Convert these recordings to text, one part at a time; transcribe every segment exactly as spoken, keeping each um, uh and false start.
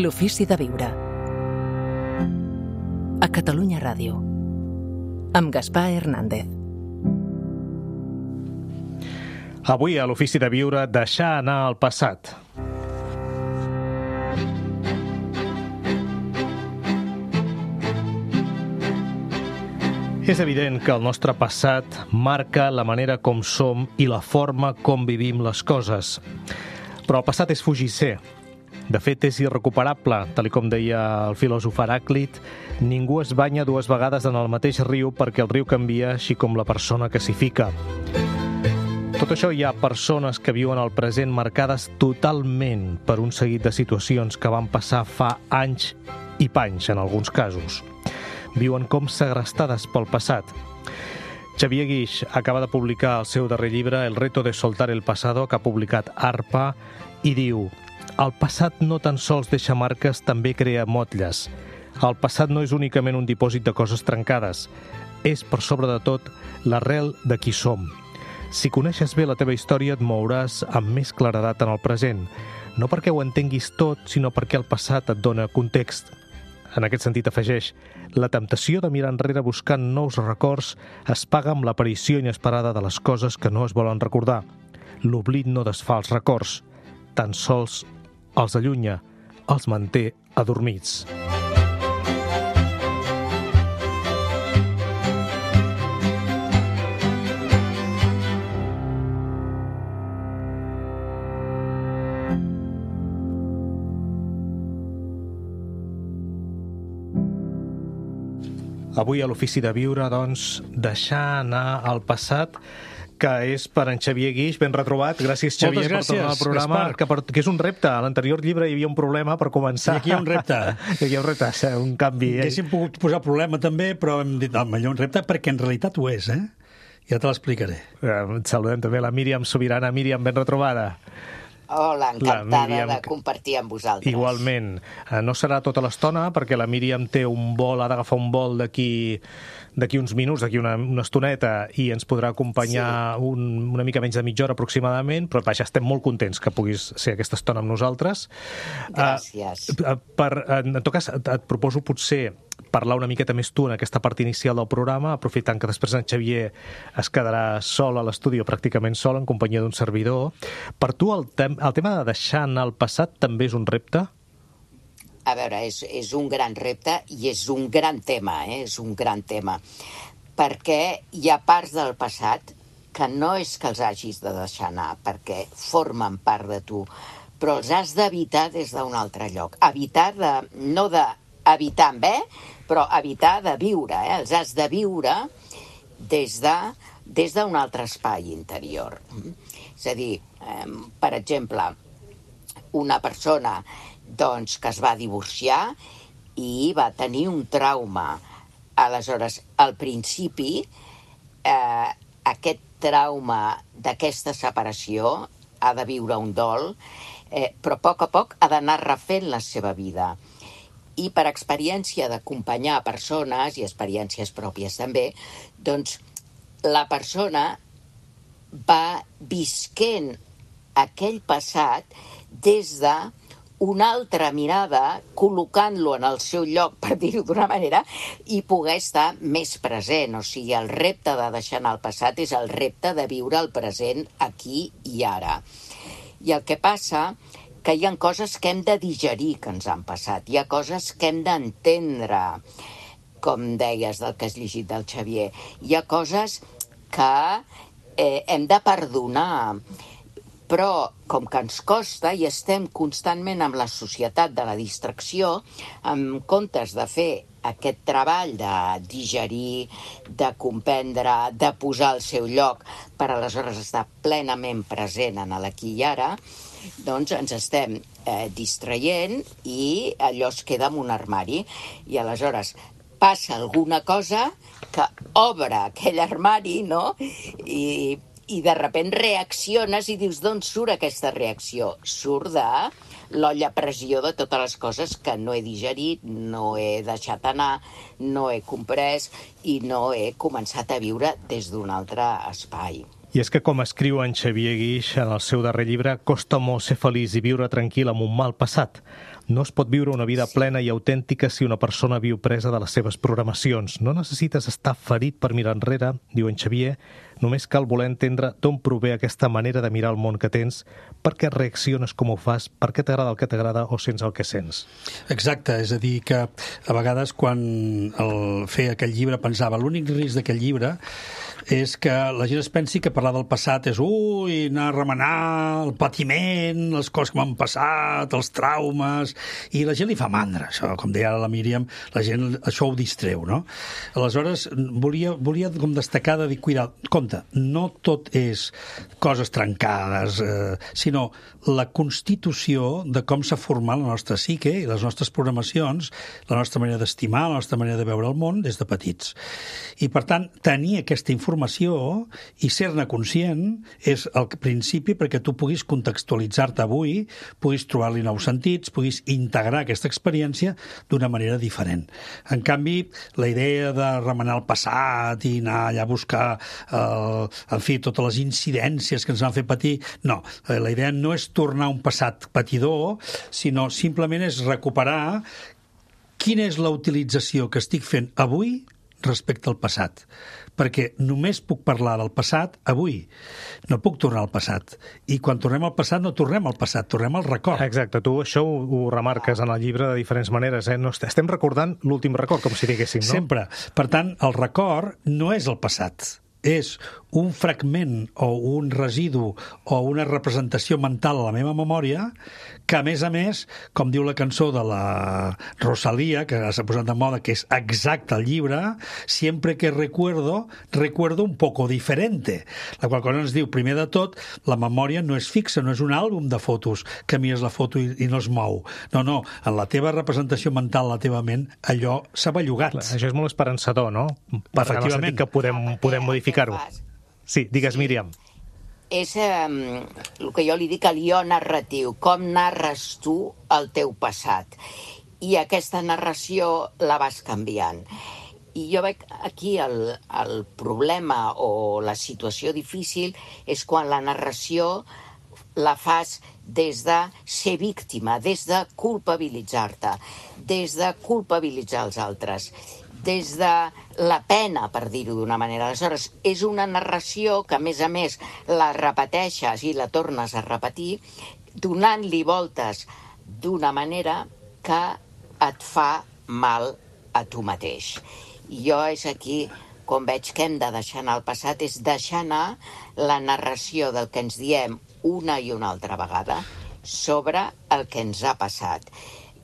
L'ofici de viure. A Catalunya Ràdio. Amb Gaspar Hernández. Avui a l'ofici de viure, deixar anar el passat. És evident que el nostre passat marca la manera com som i la forma com vivim les coses. Però el passat és fugisser. De fet, és irrecuperable. Tal com deia el filòsof Heràclit, ningú es banya dues vegades en el mateix riu perquè el riu canvia, així com la persona que s'hi fica. Tot això, hi ha persones que viuen el present marcades totalment per un seguit de situacions que van passar fa anys i panys, en alguns casos. Viuen com segrestades pel passat. Xavier Guix acaba de publicar el seu darrer llibre, El reto de soltar el pasado, que ha publicat Arpa, i diu: el passat no tan sols deixa marques, també crea motlles. El passat no és únicament un dipòsit de coses trencades. És, per sobre de tot, l'arrel de qui som. Si coneixes bé la teva història, et mouràs amb més claredat en el present. No perquè ho entenguis tot, sinó perquè el passat et dona context. En aquest sentit, afegeix: la temptació de mirar enrere buscant nous records es paga amb l'aparició inesperada de les coses que no es volen recordar. L'oblit no desfà els records, tan sols els allunya, els manté adormits. Avui a l'ofici de viure, doncs, deixar anar el passat, que és per en Xavier Guix. Ben retrobat. Gràcies, Xavier, gràcies, per tornar al programa, que, per, que és un repte. A l'anterior llibre hi havia un problema per començar. I aquí hi ha un repte. I aquí hi ha un repte, un canvi. Eh? Hauríem pogut posar problema també, però hem dit, home, hi ha un repte perquè en realitat ho és, eh? Ja te l'explicaré. Eh, saludem també la Míriam Sobirana. Míriam, ben retrobada. Hola, encantada de compartir amb vosaltres. Igualment. No serà tota l'estona, perquè la Míriam té un vol, ha d'agafar un vol d'aquí d'aquí uns minuts, d'aquí una, una estoneta, i ens podrà acompanyar sí. un, una mica menys de mitja hora aproximadament, però vaja, estem molt contents que puguis ser aquesta estona amb nosaltres. Gràcies. Uh, per, en tot cas, et, et proposo potser parlar una miqueta més tu en aquesta part inicial del programa, aprofitant que després en Xavier es quedarà sol a l'estudi, o pràcticament sol, en companyia d'un servidor. Per tu el, tem el tema de deixar anar el passat també és un repte? A veure, és, és un gran repte i és un gran tema, eh? És un gran tema. Perquè hi ha parts del passat que no és que els hagis de deixar anar, perquè formen part de tu, però els has d'evitar des d'un altre lloc. Evitar de... no d'evitar amb E, però evitar de viure, eh? Els has de viure des de des d'un altre espai interior. És a dir, eh, per exemple, una persona doncs, que es va divorciar i va tenir un trauma. Aleshores, al principi, eh, aquest trauma d'aquesta separació ha de viure un dol, eh, però a poc a poc ha d'anar refent la seva vida. I per experiència d'acompanyar persones, i experiències pròpies també, doncs la persona va visquent aquell passat des de una altra mirada, col·locant-lo en el seu lloc, per dir-ho d'una manera, i poder estar més present. O sigui, el repte de deixar anar el passat és el repte de viure el present aquí i ara. I el que passa que hi ha coses que hem de digerir que ens han passat, hi ha coses que hem d'entendre, com deies del que has llegit del Xavier, hi ha coses que eh, hem de perdonar. Però, com que ens costa i estem constantment amb la societat de la distracció, en comptes de fer aquest treball de digerir, de comprendre, de posar al seu lloc, per aleshores estar plenament present en l'aquí i ara, doncs ens estem eh, distraient i allò es queda en un armari. I aleshores passa alguna cosa que obre aquell armari, no?, i... i de sobte reacciones i dius, d'on surt aquesta reacció? Surt de l'olla a pressió de totes les coses que no he digerit, no he deixat anar, no he comprès i no he començat a viure des d'un altre espai. I és que, com escriu en Xavier Guix en el seu darrer llibre, costa molt ser feliç i viure tranquil amb un mal passat. No es pot viure una vida sí. plena i autèntica si una persona viu presa de les seves programacions. No necessites estar ferit per mirar enrere, diu en Xavier, només cal voler entendre d'on prové aquesta manera de mirar el món que tens, per què reacciones com ho fas, per què t'agrada el que t'agrada o sents el que sents. Exacte, és a dir, que a vegades quan el feia aquell llibre pensava l'únic risc d'aquell llibre és que la gent es pensi que parlar del passat és ui, anar a remenar el patiment, les coses que m'han passat, els traumes, i la gent li fa mandra, això, com deia ara la Míriam, la gent això ho distreu, no? Aleshores, volia, volia com destacar de dir, cuidar, compte, no tot és coses trencades, eh, sinó la constitució de com s'ha format la nostra psique i les nostres programacions, la nostra manera d'estimar, la nostra manera de veure el món des de petits. I, per tant, tenir aquesta informació i ser-ne conscient és el principi perquè tu puguis contextualitzar-te avui, puguis trobar-li nous sentits, puguis integrar aquesta experiència d'una manera diferent. En canvi, la idea de remenar el passat i anar allà a buscar eh, en fi, totes les incidències que ens van fer patir, no. La idea no és tornar a un passat patidor, sinó simplement és recuperar quina és la utilització que estic fent avui respecte al passat. Perquè només puc parlar del passat avui, no puc tornar al passat. I quan tornem al passat no tornem al passat, tornem al record. Exacte, tu això ho, ho remarques en el llibre de diferents maneres, eh? No, estem recordant l'últim record, com si diguéssim, no? Sempre. Per tant, el record no és el passat, és un fragment o un residu o una representació mental a la meva memòria que, a més a més, com diu la cançó de la Rosalía, que s'ha posat de moda, que és exacte al llibre, sempre que recuerdo, recuerdo un poco diferente. La qual cosa ens diu, primer de tot, la memòria no és fixa, no és un àlbum de fotos que mires la foto i, i no es mou. No, no, en la teva representació mental, la teva ment, allò s'ha bellugat. Clar, això és molt esperançador, no? Per efectivament. Que podem, podem modificar-ho. Sí, digues, sí. Míriam. És eh, el que jo li dic el jo narratiu, com narres tu el teu passat. I aquesta narració la vas canviant. I jo veig aquí el, el problema o la situació difícil és quan la narració la fas des de ser víctima, des de culpabilitzar-te, des de culpabilitzar els altres, des de la pena, per dir-ho d'una manera. Aleshores, és una narració que, a més a més, la repeteixes i la tornes a repetir, donant-li voltes d'una manera que et fa mal a tu mateix. I jo és aquí, com veig que hem de deixar anar el passat, és deixar anar la narració del que ens diem una i una altra vegada sobre el que ens ha passat.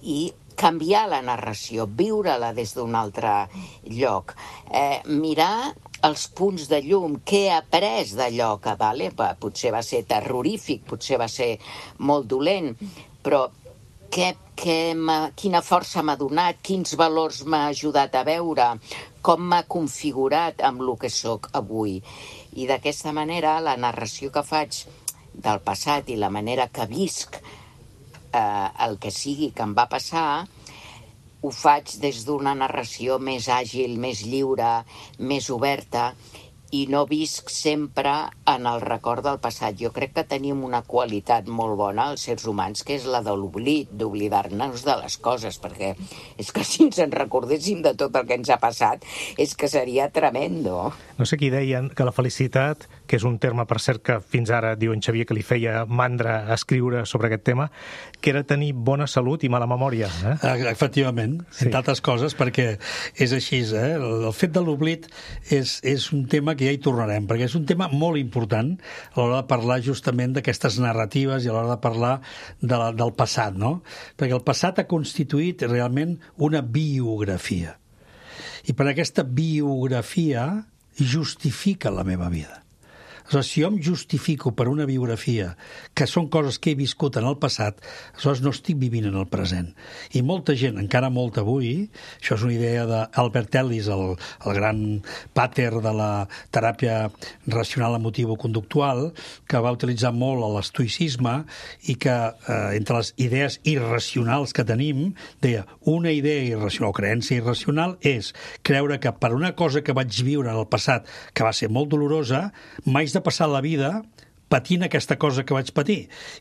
I canviar la narració, viure-la des d'un altre lloc, eh, mirar els punts de llum, què he après d'allò que vale? Potser va ser terrorífic, potser va ser molt dolent, però què, què quina força m'ha donat, quins valors m'ha ajudat a veure, com m'ha configurat amb el que sóc avui. I d'aquesta manera la narració que faig del passat i la manera que visc Eh, el que sigui que em va passar, ho faig des d'una narració més àgil, més lliure, més oberta, i no visc sempre en el record del passat. Jo crec que tenim una qualitat molt bona, els sers humans, que és la de l'oblit, d'oblidar-nos de les coses, perquè és que si ens en recordéssim de tot el que ens ha passat, és que seria tremendo. No sé qui deien que la felicitat, que és un terme, per cert, que fins ara diu en Xavier que li feia mandra escriure sobre aquest tema, que era tenir bona salut i mala memòria. Eh? Efectivament, sí. Entre altres coses, perquè és així, eh? El fet de l'oblit és, és un tema que ja hi tornarem, perquè és un tema molt important a l'hora de parlar justament d'aquestes narratives i a l'hora de parlar de la, del passat, no? Perquè el passat ha constituït realment una biografia. I per aquesta biografia justifica la meva vida. Aleshores, si jo em justifico per una biografia que són coses que he viscut en el passat, aleshores no estic vivint en el present. I molta gent, encara molta avui, això és una idea d'Albert Ellis, el, el gran pàter de la teràpia racional emotivo-conductual, que va utilitzar molt l'estoïcisme i que, eh, entre les idees irracionals que tenim, deia, una idea irracional o creença irracional és creure que per una cosa que vaig viure en el passat que va ser molt dolorosa, m'haig de passar la vida patint aquesta cosa que vaig patir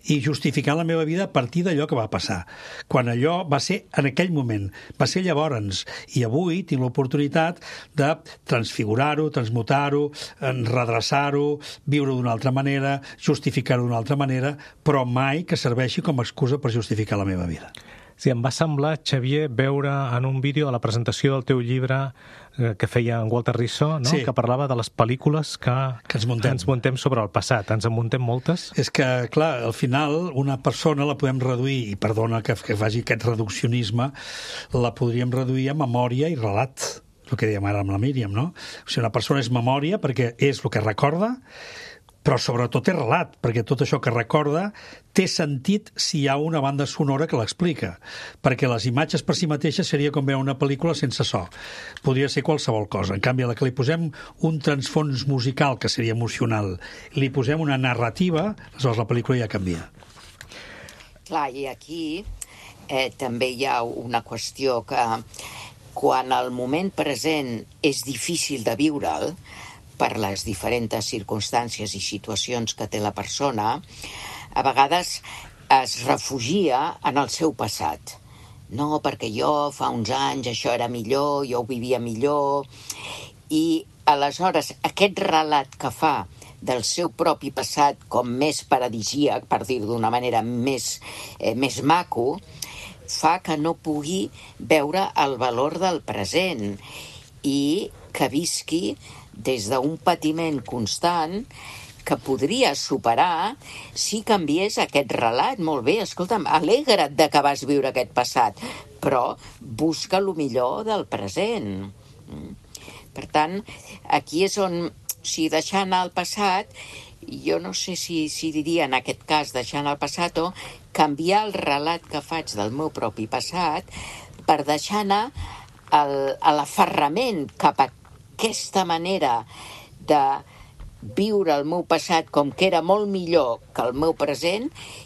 i justificant la meva vida a partir d'allò que va passar. Quan allò va ser en aquell moment, va ser llavors, i avui tinc l'oportunitat de transfigurar-ho, transmutar-ho, redreçar-ho, viure d'una altra manera, justificar-ho d'una altra manera, però mai que serveixi com a excusa per justificar la meva vida. Sí, em va semblar, Xavier, veure en un vídeo a la presentació del teu llibre eh, que feia en Walter Rissó, no? Sí. Que parlava de les pel·lícules que, que ens, muntem. ens muntem sobre el passat. Ens en muntem moltes? És que, clar, al final una persona la podem reduir, i perdona que, que faci aquest reduccionisme, la podríem reduir a memòria i relat, el que dèiem ara amb la Míriam, no? O sigui, una persona és memòria perquè és el que recorda, però sobretot és relat, perquè tot això que recorda té sentit si hi ha una banda sonora que l'explica, perquè les imatges per si mateixes seria com veure una pel·lícula sense so. Podria ser qualsevol cosa. En canvi, a la que li posem un transfons musical, que seria emocional, i li posem una narrativa, aleshores la pel·lícula ja canvia. Clar, i aquí eh, també hi ha una qüestió que quan el moment present és difícil de viure'l, per les diferents circumstàncies i situacions que té la persona, a vegades es refugia en el seu passat. No, perquè jo fa uns anys això era millor, jo ho vivia millor, i aleshores aquest relat que fa del seu propi passat com més paradisíac, per dir-ho d'una manera més, eh, més maco, fa que no pugui veure el valor del present i que visqui des d'un patiment constant que podria superar si canviés aquest relat. Molt bé, escolta'm, alegra't de que vas viure aquest passat, però busca el millor del present. Per tant, aquí és on, si deixar anar el passat, jo no sé si, si diria en aquest cas deixar anar el passat o canviar el relat que faig del meu propi passat per deixar anar el, l'aferrament cap a aquesta manera de viure el meu passat com que era molt millor que el meu present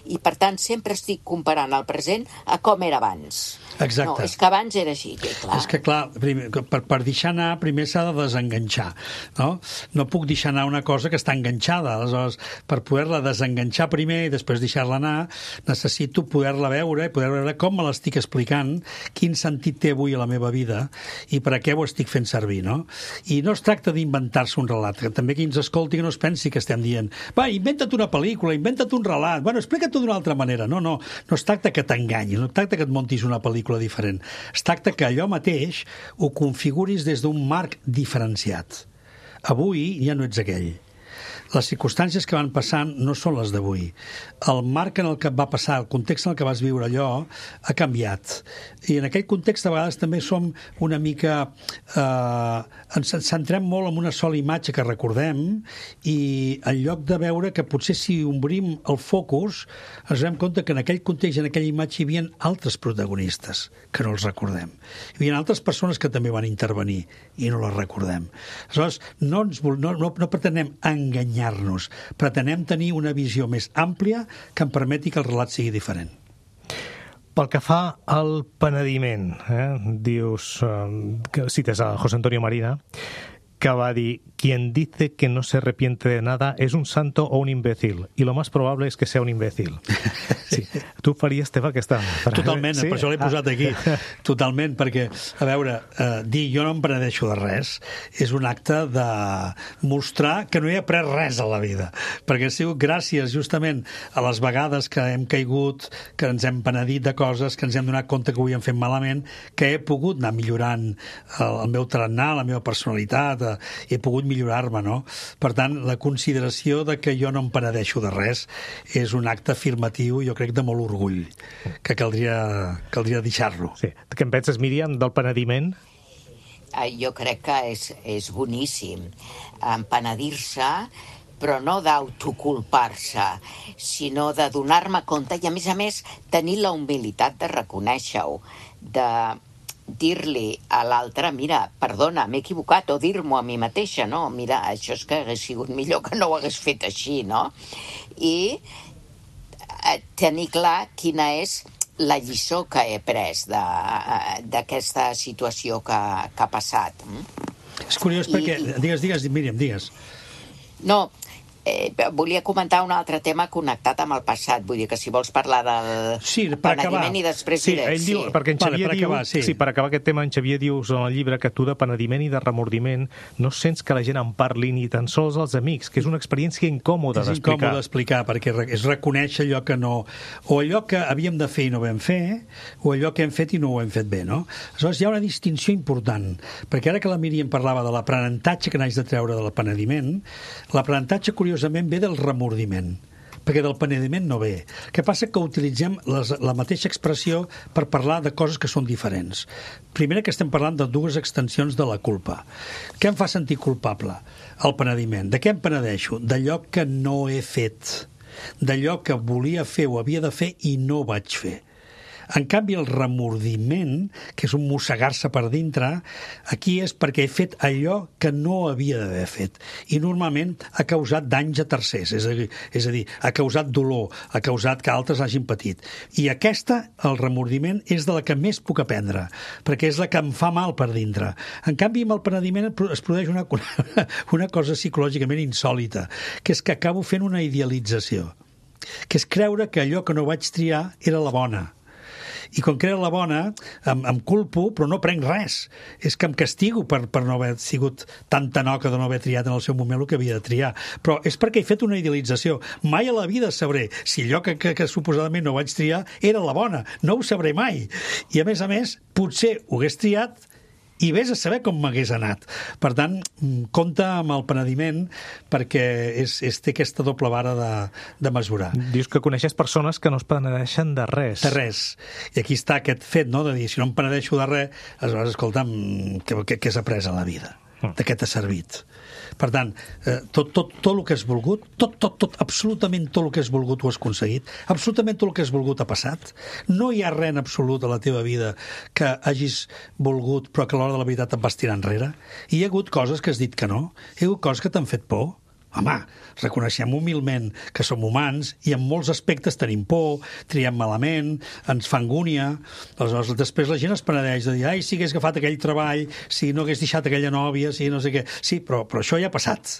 i, per tant, sempre estic comparant el present a com era abans. Exacte. No, és que abans era així, que clar. És que, clar, primer, per, per deixar anar, primer s'ha de desenganxar, no? No puc deixar anar una cosa que està enganxada. Aleshores, per poder-la desenganxar primer i després deixar-la anar, necessito poder-la veure i poder veure com me l'estic explicant, quin sentit té avui a la meva vida i per a què ho estic fent servir, no? I no es tracta d'inventar-se un relat, que també qui ens escolti que no es pensi que estem dient va, inventa't una pel·lícula, inventa't un relat, bueno, explica't-ho d'una altra manera. No, no, no es tracta que t'enganyis, no es tracta que et montis una pel·lícula diferent. Es tracta que allò mateix ho configuris des d'un marc diferenciat. Avui ja no ets aquell. Les circumstàncies que van passant no són les d'avui. El marc en el que va passar, el context en el que vas viure allò, ha canviat. I en aquell context, a vegades, també som una mica... Eh, ens centrem molt en una sola imatge que recordem i en lloc de veure que potser si obrim el focus ens donem compte que en aquell context, en aquella imatge, hi havia altres protagonistes que no els recordem. Hi havia altres persones que també van intervenir i no les recordem. Aleshores, no, ens, no, no, no pretenem enganyar-nos, pretenem tenir una visió més àmplia que em permeti que el relat sigui diferent. Pel que fa al penediment, eh, dius, eh, que cites a José Antonio Marina, que va dir, quien dice que no se arrepiente de nada es un santo o un imbécil, y lo más probable es que sea un imbécil. Sí. Tu faries teva aquesta frase? Totalment, sí? Per això l'he posat aquí. Totalment, perquè, a veure, eh, dir jo no em penedeixo de res és un acte de mostrar que no he après res a la vida, perquè ha sigut gràcies justament a les vegades que hem caigut, que ens hem penedit de coses, que ens hem donat compte que ho havíem fet malament, que he pogut anar millorant el, el meu tarannà, la meva personalitat, eh, he pogut millorar-me, no? Per tant, la consideració de que jo no em penedeixo de res és un acte afirmatiu, jo crec, de molt orgull, que caldria, caldria deixar-lo. Sí. Què en penses, Míriam, del penediment? Jo crec que és, és boníssim empenedir-se, però no d'autoculpar-se, sinó de donar-me compte i, a més a més, tenir la humilitat de reconèixer-ho, de dir-li a l'altre, mira, perdona, m'he equivocat, o dir-m'ho a mi mateixa, no? Mira, això és que hagués sigut millor que no ho hagués fet així, no? I tenir clar quina és la lliçó que he pres d'aquesta situació que, que ha passat. És curiós perquè... I, digues, digues, Míriam, digues. No, Eh, volia comentar un altre tema connectat amb el passat, vull dir que si vols parlar del sí, per penediment acabar. i després Sí, diré... ell Sí, diu, perquè en Vale, Xavier per diu, acabar, sí. sí, per acabar aquest tema, en Xavier dius en el llibre que tu de penediment i de remordiment no sents que la gent en parli ni tan sols els amics, que és una experiència incòmoda és d'explicar. incòmode d'explicar, perquè re- és reconèixer allò que no... o allò que havíem de fer i no vam fer, o allò que hem fet i no ho hem fet bé, no? Aleshores, hi ha una distinció important, perquè ara que la Míriam parlava de l'aprenentatge que n'haig de treure del penediment, l'aprenentatge, curiosament, ve del remordiment, perquè del penediment no ve. El que passa que utilitzem les, la mateixa expressió per parlar de coses que són diferents. Primera, que estem parlant de dues extensions de la culpa. Què em fa sentir culpable? El penediment. De què em penedeixo? D'allò que no he fet, d'allò que volia fer o havia de fer i no vaig fer. En canvi, el remordiment, que és un mossegar-se per dintre, aquí és perquè he fet allò que no havia d'haver fet. I normalment ha causat danys a tercers, és a dir, és a dir, ha causat dolor, ha causat que altres hagin patit. I aquesta, el remordiment, és de la que més puc aprendre, perquè és la que em fa mal per dintre. En canvi, amb el penediment es produeix una, una cosa psicològicament insòlita, que és que acabo fent una idealització, que és creure que allò que no vaig triar era la bona. I quan creu la bona, em, em culpo, però no prenc res. És que em castigo per, per no haver sigut tan tanoca de no haver triat en el seu moment el que havia de triar. Però és perquè he fet una idealització. Mai a la vida sabré si allò que, que, que suposadament no vaig triar era la bona. No ho sabré mai. I a més a més, potser ho hagués triat i vés a saber com m'hagués anat. Per tant, compta amb el penediment perquè és, és, té aquesta doble vara de, de mesurar. Dius que coneixes persones que no es penedeixen de res. De res. I aquí està aquest fet, no?, de dir, si no em penedeixo de res, aleshores, escolta'm, què, què, què has après a la vida? De què t'ha servit? Per tant, eh, tot, tot, tot el que has volgut, tot, tot, tot, absolutament tot el que has volgut ho has aconseguit, absolutament tot el que has volgut ha passat. No hi ha res en absolut a la teva vida que hagis volgut però que a l'hora de la veritat et vas tirar enrere. I hi ha hagut coses que has dit que no, hi ha hagut coses que t'han fet por. Home, reconeixem humilment que som humans i en molts aspectes tenim por, triem malament, ens fa angúnia. Aleshores, després la gent es penedeix de dir ai, si hagués agafat aquell treball, si no hagués deixat aquella nòvia, si no sé què. Sí, però, però això ja ha passat.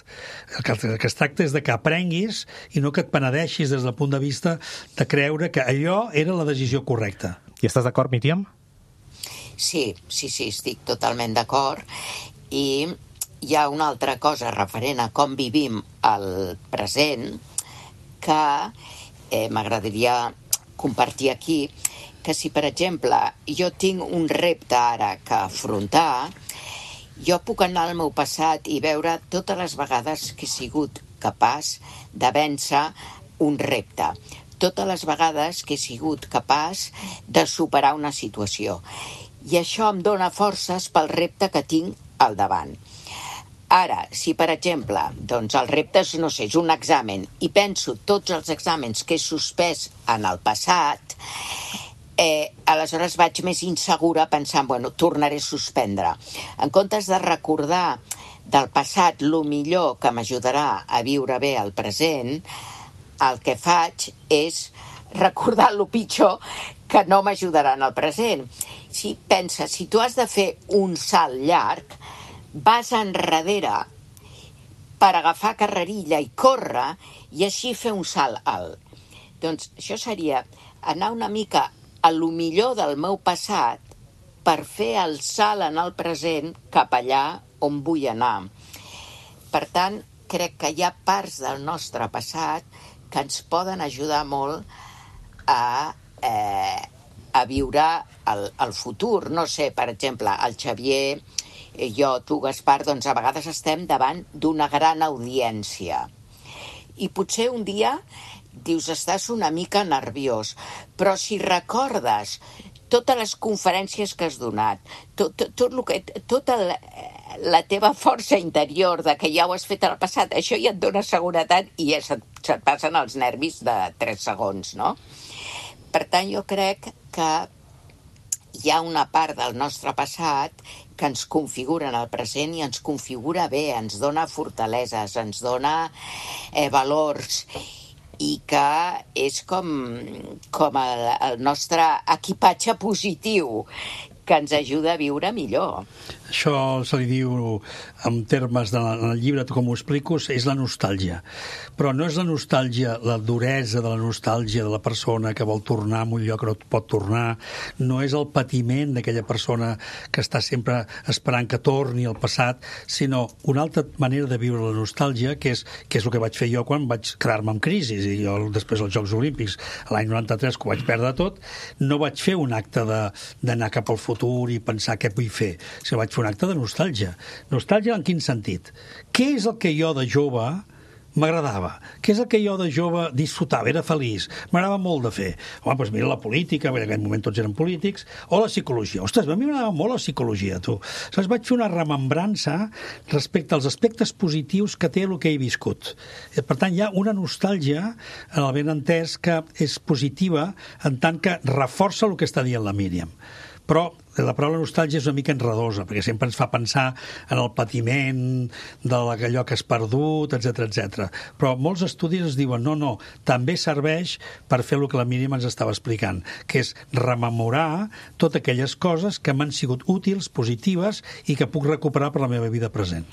El que, el que es tracta és de que aprenguis i no que et penedeixis des del punt de vista de creure que allò era la decisió correcta. I estàs d'acord, Míriam? Sí, sí, sí, estic totalment d'acord. I hi ha una altra cosa referent a com vivim el present que eh, m'agradaria compartir aquí, que si, per exemple, jo tinc un repte ara que afrontar, jo puc anar al meu passat i veure totes les vegades que he sigut capaç de vèncer un repte, totes les vegades que he sigut capaç de superar una situació. I això em dona forces pel repte que tinc al davant. Ara, si, per exemple, doncs el repte és, no sé, és un examen i penso tots els exàmens que he suspès en el passat, eh, aleshores vaig més insegura pensant, bueno, tornaré a suspendre. En comptes de recordar del passat lo millor que m'ajudarà a viure bé el present, el que faig és recordar lo pitjor que no m'ajudarà en el present. Si pensa, si tu has de fer un salt llarg, vas enrere per agafar carrerilla i córrer i així fer un salt alt. Doncs això seria anar una mica a lo millor del meu passat per fer el salt en el present cap allà on vull anar. Per tant, crec que hi ha parts del nostre passat que ens poden ajudar molt a, eh, a viure el, el futur. No sé, per exemple, el Xavier, jo, tu, Gaspar, doncs a vegades estem davant d'una gran audiència. I potser un dia dius, estàs una mica nerviós, però si recordes totes les conferències que has donat, tot, tot, tot lo que, tota la, la teva força interior de que ja ho has fet al passat, això ja et dona seguretat i ja se't, se't passen els nervis de tres segons, no? Per tant, jo crec que hi ha una part del nostre passat que ens configura en el present i ens configura bé, ens dona fortaleses, ens dona eh, valors i que és com, com el, el nostre equipatge positiu que ens ajuda a viure millor. Això se li diu, en termes de, en el llibre, com ho explico, és la nostàlgia. Però no és la nostàlgia, la duresa de la nostàlgia de la persona que vol tornar a un lloc que no pot tornar, no és el patiment d'aquella persona que està sempre esperant que torni al passat, sinó una altra manera de viure la nostàlgia, que és, que és el que vaig fer jo quan vaig quedar-me en crisi. I jo, després dels Jocs Olímpics, l'any noranta-tres, que ho vaig perdre tot, no vaig fer un acte d'anar cap al futur i pensar què vull fer, sinó vaig fer un acte de nostàlgia. Nostàlgia en quin sentit? Què és el que jo de jove m'agradava? Què és el que jo de jove disfrutava? Era feliç. M'agradava molt de fer. Home, doncs mira la política, en aquell moment tots eren polítics, o la psicologia. Ostres, a mi m'agradava molt la psicologia, tu. Aleshores vaig fer una remembrança respecte als aspectes positius que té el que he viscut. Per tant, hi ha una nostàlgia, en el ben entès, que és positiva en tant que reforça el que està dient la Míriam. Però la paraula nostàlgia és una mica enredosa, perquè sempre ens fa pensar en el patiment d'allò que has perdut, etcètera, etcètera. Però molts estudis es diuen no, no, també serveix per fer el que la Míriam ens estava explicant, que és rememorar totes aquelles coses que m'han sigut útils, positives i que puc recuperar per la meva vida present.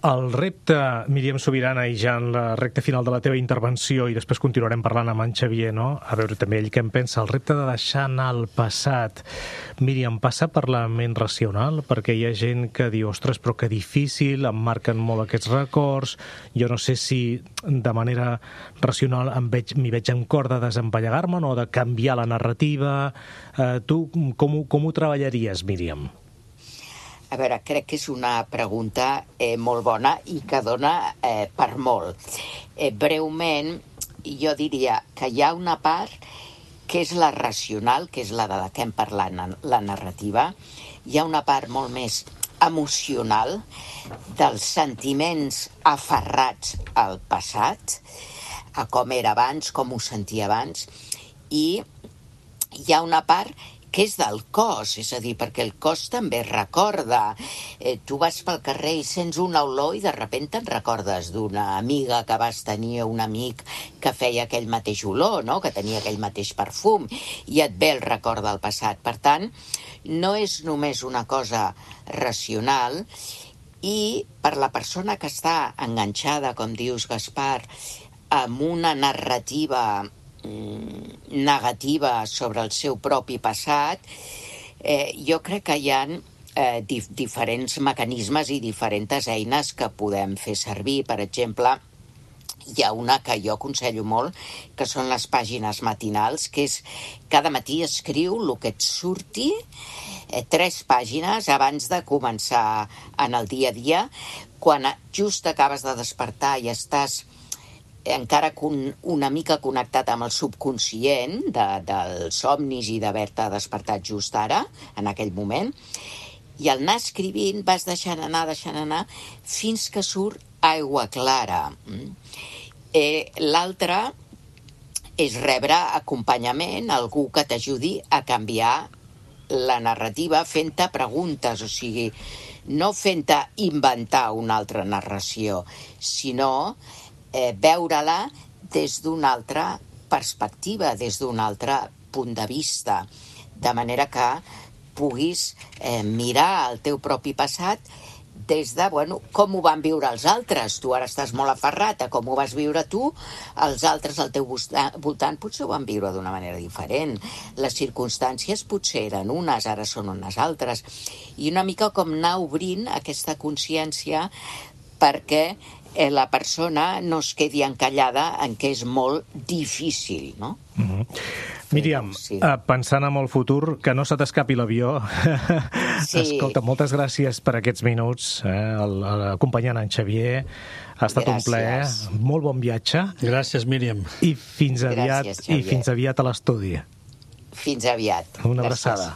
El repte, Míriam Subirana, i ja en la recta final de la teva intervenció, i després continuarem parlant amb en Xavier, no? A veure també ell què en pensa, el repte de deixar anar el passat. Míriam, passa per la ment racional? Perquè hi ha gent que diu, ostres, però que difícil, em marquen molt aquests records, jo no sé si de manera racional em veig, m'hi veig en cor de desempallegar-me o de canviar la narrativa. Eh, tu com ho, com ho treballaries, Míriam? A veure, crec que és una pregunta eh, molt bona i que dona eh, per molt. Eh, breument, jo diria que hi ha una part que és la racional, que és la de la que hem parlat, la narrativa. Hi ha una part molt més emocional dels sentiments aferrats al passat, a com era abans, com ho sentia abans, i hi ha una part que és del cos, és a dir, perquè el cos també recorda. Eh, tu vas pel carrer i sents una olor i de sobte te'n recordes d'una amiga que vas tenir, un amic que feia aquell mateix olor, no? Que tenia aquell mateix perfum, i et ve el record del passat. Per tant, no és només una cosa racional, i per la persona que està enganxada, com dius, Gaspar, amb una narrativa negativa sobre el seu propi passat, eh, jo crec que hi ha eh, dif diferents mecanismes i diferents eines que podem fer servir. Per exemple, hi ha una que jo aconsello molt, que són les pàgines matinals, que és cada matí escriu el que et surti, eh, tres pàgines abans de començar en el dia a dia, quan just acabes de despertar i estàs encara una mica connectat amb el subconscient de, dels somnis i d'haver-te despertat just ara, en aquell moment, i al anar escrivint vas deixant anar, deixant anar, fins que surt aigua clara. Eh, L'altre és rebre acompanyament, algú que t'ajudi a canviar la narrativa fent-te preguntes, o sigui, no fent-te inventar una altra narració, sinó Eh, veure-la des d'una altra perspectiva, des d'un altre punt de vista, de manera que puguis eh, mirar el teu propi passat des de, bueno, com ho van viure els altres. Tu ara estàs molt aferrat a com ho vas viure tu, els altres al teu voltant potser ho van viure d'una manera diferent. Les circumstàncies potser eren unes, ara són unes altres. I una mica com anar obrint aquesta consciència perquè eh, la persona no es quedi encallada en què és molt difícil, no? Mm-hmm. Míriam, sí. uh, pensant en el futur, que no se t'escapi l'avió. Sí. Escolta, moltes gràcies per aquests minuts, eh, el, el, acompanyant en Xavier. Ha estat gràcies. Un plaer. Molt bon viatge. Gràcies, Míriam. I fins aviat, gràcies, i fins aviat a l'estudi. Fins aviat. Una abraçada.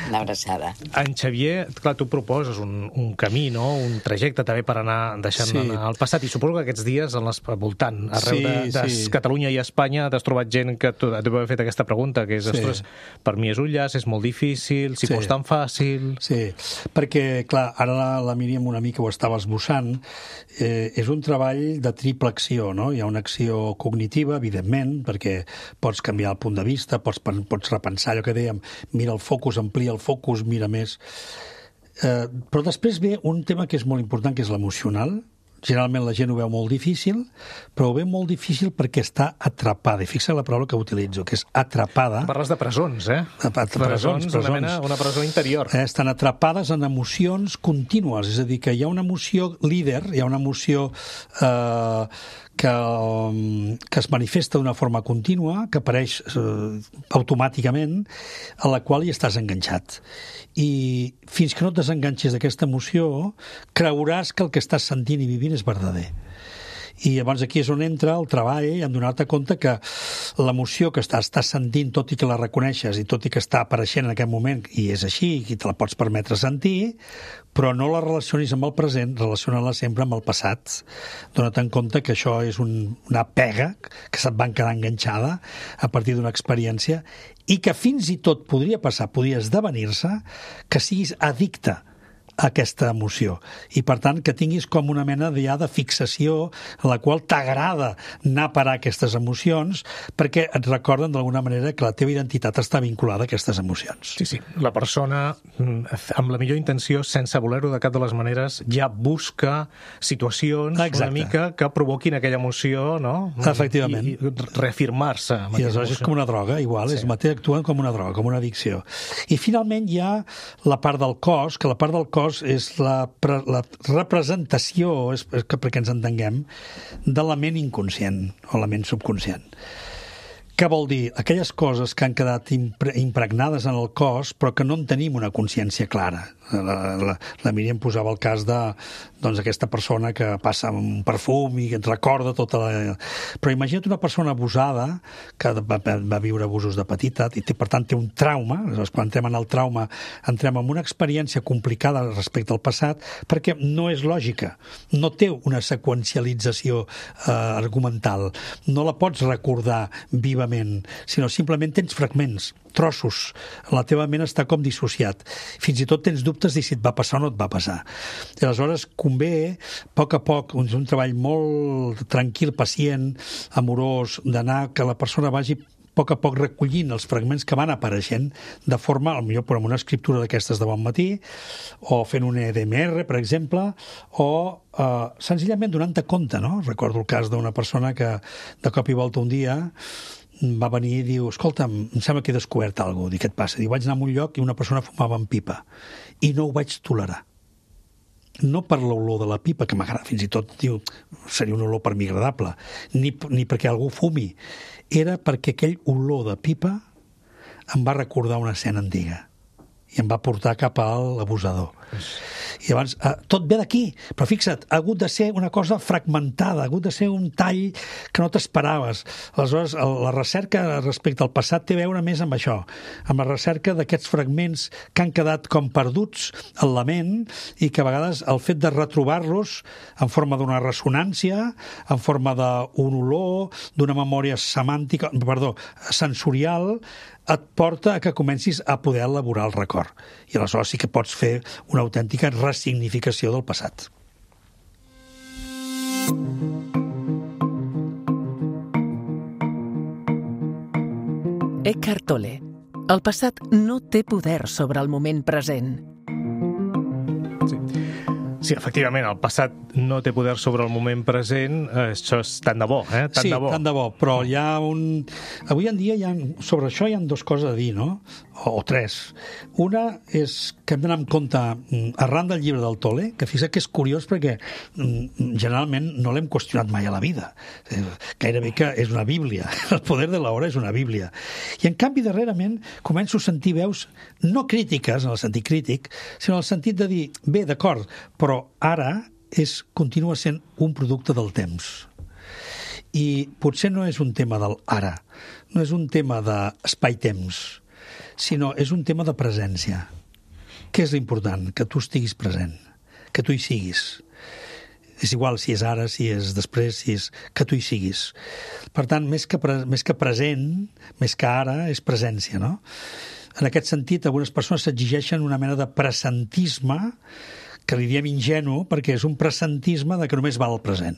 Una abraçada. En Xavier, clar, tu proposes un, un camí, no? Un trajecte també per anar deixant sí. anar al passat. I suposo que aquests dies, al voltant, arreu sí, de, de sí. Catalunya i Espanya, t'has trobat gent que t'ho ha fet aquesta pregunta, que és, sí. ostres, per mi és un llaç, és molt difícil, si sí. fos tan fàcil... Sí, perquè, clar, ara la, la Míriam una mica ho estava esbossant, eh, és un treball de triple acció, no? Hi ha una acció cognitiva, evidentment, perquè pots canviar el punt de vista, pots, pots repensar allò que dèiem, mira el focus, amplia el focus, mira més. Eh, però després ve un tema que és molt important, que és l'emocional. Generalment la gent ho veu molt difícil, però ho veu molt difícil perquè està atrapada. I fixa la paraula que utilitzo, que és atrapada. Parles de presons, eh? Presons, presons, presons. Una, mena, una presó interior. Eh, estan atrapades en emocions contínues, és a dir, que hi ha una emoció líder, hi ha una emoció eh, que, que es manifesta d'una forma contínua, que apareix eh, automàticament, a la qual hi estàs enganxat. I fins que no et desenganxis d'aquesta emoció, creuràs que el que estàs sentint i vivint és verdader. I llavors aquí és on entra el treball en donar-te compte que l'emoció que estàs, estàs sentint, tot i que la reconeixes i tot i que està apareixent en aquest moment, i és així, i te la pots permetre sentir, però no la relacionis amb el present, relaciona-la sempre amb el passat. Dóna-te'n compte que això és un, una pega que se't van quedar enganxada a partir d'una experiència i que fins i tot podria passar, podria esdevenir-se, que siguis addicte a aquesta emoció. I, per tant, que tinguis com una mena ja de fixació en la qual t'agrada anar a parar aquestes emocions perquè et recorden d'alguna manera que la teva identitat està vinculada a aquestes emocions. Sí, sí. La persona, amb la millor intenció, sense voler-ho de cap de les maneres, ja busca situacions Exacte. Una mica que provoquin aquella emoció, no? Efectivament. I, i reafirmar-se. I aleshores és com una droga, igual, sí. És mateix, actuen com una droga, com una addicció. I finalment hi ha la part del cos, que la part del cos és la, la representació, és, és que perquè ens entenguem, de la ment inconscient o la ment subconscient. Què vol dir? Aquelles coses que han quedat impre, impregnades en el cos però que no en tenim una consciència clara. La, la, la Míriam posava el cas de doncs, aquesta persona que passa un perfum i que et recorda tota la... Però imagina't una persona abusada que va, va viure abusos de petita i té, per tant té un trauma. Aleshores, quan entrem en el trauma entrem en una experiència complicada respecte al passat perquè no és lògica, no té una seqüencialització eh, argumental, no la pots recordar vivament, sinó simplement tens fragments, trossos. La teva ment està com dissociat. Fins i tot tens dubtes de si et va passar o no et va passar. I aleshores convé, a poc a poc, és un treball molt tranquil, pacient, amorós, d'anar que la persona vagi a poc a poc recollint els fragments que van apareixent de forma, potser amb una escriptura d'aquestes de bon matí, o fent un E D M R, per exemple, o eh, senzillament donant-te compte, no? Recordo el cas d'una persona que de cop i volta un dia va venir i diu, escolta'm, em sembla que he descobert alguna cosa. Dic, què et passa? Diu, vaig anar a un lloc i una persona fumava en pipa i no ho vaig tolerar. No per l'olor de la pipa, que m'agrada, fins i tot, diu, seria una olor per mi agradable, ni, ni perquè algú fumi. Era perquè aquell olor de pipa em va recordar una escena antiga i em va portar cap a l'abusador. I llavors, eh, tot ve d'aquí, però fixa't, ha hagut de ser una cosa fragmentada, ha hagut de ser un tall que no t'esperaves. Aleshores, la recerca respecte al passat té a veure més amb això, amb la recerca d'aquests fragments que han quedat com perduts en la ment i que a vegades el fet de retrobar-los en forma d'una ressonància, en forma d'un olor, d'una memòria semàntica, perdó, sensorial, et porta a que comencis a poder elaborar el record. I aleshores sí que pots fer una autèntica ressignificació del passat. Eckhart Tolle. El passat no té poder sobre el moment present. Sí. Sí, efectivament, el passat no té poder sobre el moment present, això és tant de bo, eh? Tant sí, de bo. tant de bo, però hi ha un... Avui en dia hi ha... sobre això hi ha dues coses a dir, no? O, o tres. Una és que hem d'anar amb compte, arran del llibre del Tolle, que fixa que és curiós perquè generalment no l'hem qüestionat mai a la vida. Gairebé que és una bíblia. El poder de l'hora és una bíblia. I en canvi, darrerament, començo a sentir veus no crítiques, en el sentit crític, sinó en el sentit de dir, bé, d'acord, però ara és, continua sent un producte del temps. I potser no és un tema del ara, no és un tema d'espai-temps, sinó és un tema de presència. Què és l'important? Que tu estiguis present, que tu hi siguis. És igual si és ara, si és després, si és... que tu hi siguis. Per tant, més que, pre... més que present, més que ara, és presència, no? En aquest sentit, algunes persones s'exigeixen una mena de presentisme que li diem ingenu perquè és un presentisme de que només val el present.